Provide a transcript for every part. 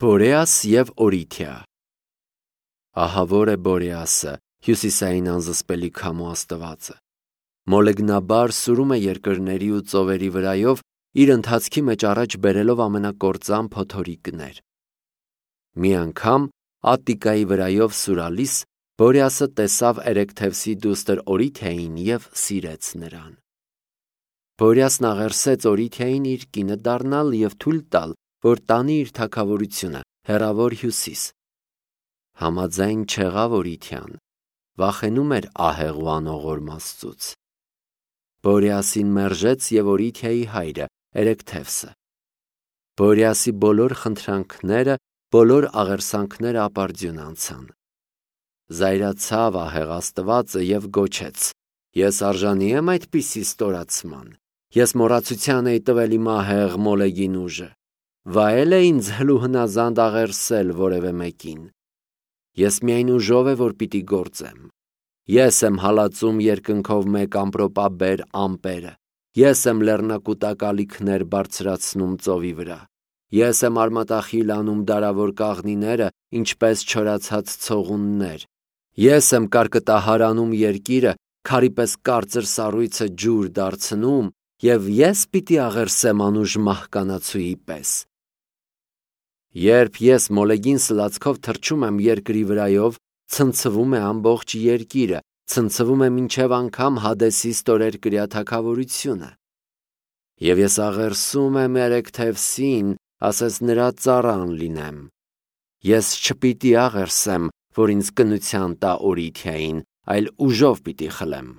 Բորեաս և Օրիթիա։ Ահա որ է Բորեասը, հյուսիսային անզսպելի քամու աստվածը։ Մոլեգնաբար սուրում է երկրների ու ծովերի վրայով, իր ընթացքի մեջ առաջ բերելով ամենակործան փոթորիկներ։ Մի անգամ Ատտիկայի վրայով սուրալիս Բորեասը տեսավ Էրեքթևսի դուստր Օրիթիային և սիրեց նրան։ Բորեասն աղերսեց Օրիթիային իր կինը դառնալ և թույլ տալ, որ տանի իր թագավորությունը հեռավոր հյուսիս։ Համաձայն չեղավ Օրիթիան, վախենում էր ահեղ ու անողորմ Աստծուց։ Բորեասին մերժեց և Օրիթիայի հայրը Էրեքթևսը։ Բորեասի բոլոր խնդրանքները, բոլոր աղերսանքները ապարդյուն անցան։ Զայրացավ ահեղ Աստվածը և գոչեց. «Ես արժանի եմ այդպիսի ստորացման։ Ես մոռացության էի տվել իմ ահեղ Մոլեգին ուժը։ Վայել է ինձ հլու հնազանդ աղերսել որևէ մեկին։ Ես միայն ուժով է, որ պիտի գործեմ։ Ես եմ հալածում երկնքով մեկ ամպրոպաբեր ամպերը։ Ես եմ լեռնակուտակ ալիքներ բարձրացնում ծովի վրա։ Ես եմ արմատախիլ անում դարավոր կաղնիները, ինչպես չորացած ցողուններ։ Ես եմ կարկտահարանում երկիրը, քարի պես կարծր սառույցը ջուր դարձնում, և ես պիտի աղերսեմ անուժ մահկանացուի պես։ Երբ ես Մոլեգին սլացքով թռչում եմ երկրի վրայով, ցնցվում է ամբողջ երկիրը, ցնցվում է մինչև անգամ Հադեսի ստորերկրյա թագավորությունը։ Եվ ես աղերսում եմ Էրեքթևսին, ասես նրա ծառան լինեմ։ Ես չպիտի աղերսեմ, որ ինձ կնության տա Օրիթիային, այլ ուժով պիտի խլեմ։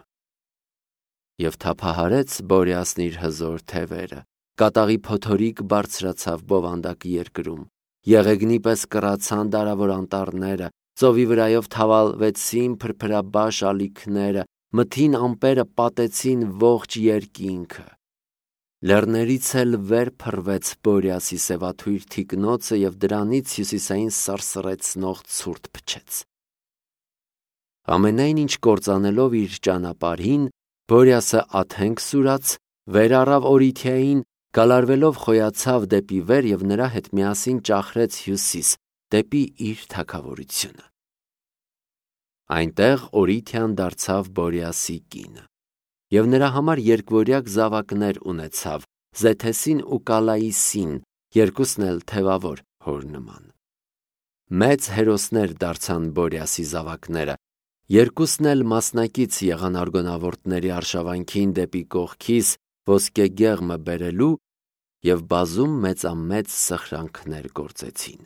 Եվ թափահարեց Բորեասն իր հզոր թևերը, կատաղի փոթորիկ բարձրացավ բովանդակ երկրում, եղեգնի պես կռացան դարավոր անտառները, ծովի վրայով թավալվեցին փրփրաբաշ ալիքները, մթին ամպերը պատեցին ողջ երկինքը։ Լեռներից էլ վեր փռվեց Բորեասի սևաթույր թիկնոցը և դրանից հյուսիսային սարսռեցնող ցուրտ փչեց։ Ամենայն ինչ կործանելով իր ճանապարհին, Բորեասը աթենք սուրաց, վեր առավ Օրիթիային, գալարվելով խոյացավ դեպի վեր և նրա հետ միասին ճախրեց հյուսիս, դեպի իր թագավորությունը։ Այնտեղ Օրիթիան դարձավ Բորեասի կինը, և նրա համար երկվորյակ զավակներ ունեցավ՝ Զեթեսին ու Կալայիսին, երկուսն էլ թևավոր հոր նման։ Մեծ հերոսներ դարձան Բորեասի զավակները, երկուսն էլ մասնակից եղան արգոնավորտների արշավանքին դեպի կողքիս ոսկե գեղմը բերելու և բազում մեծամեծ սխրանքներ գործեցին։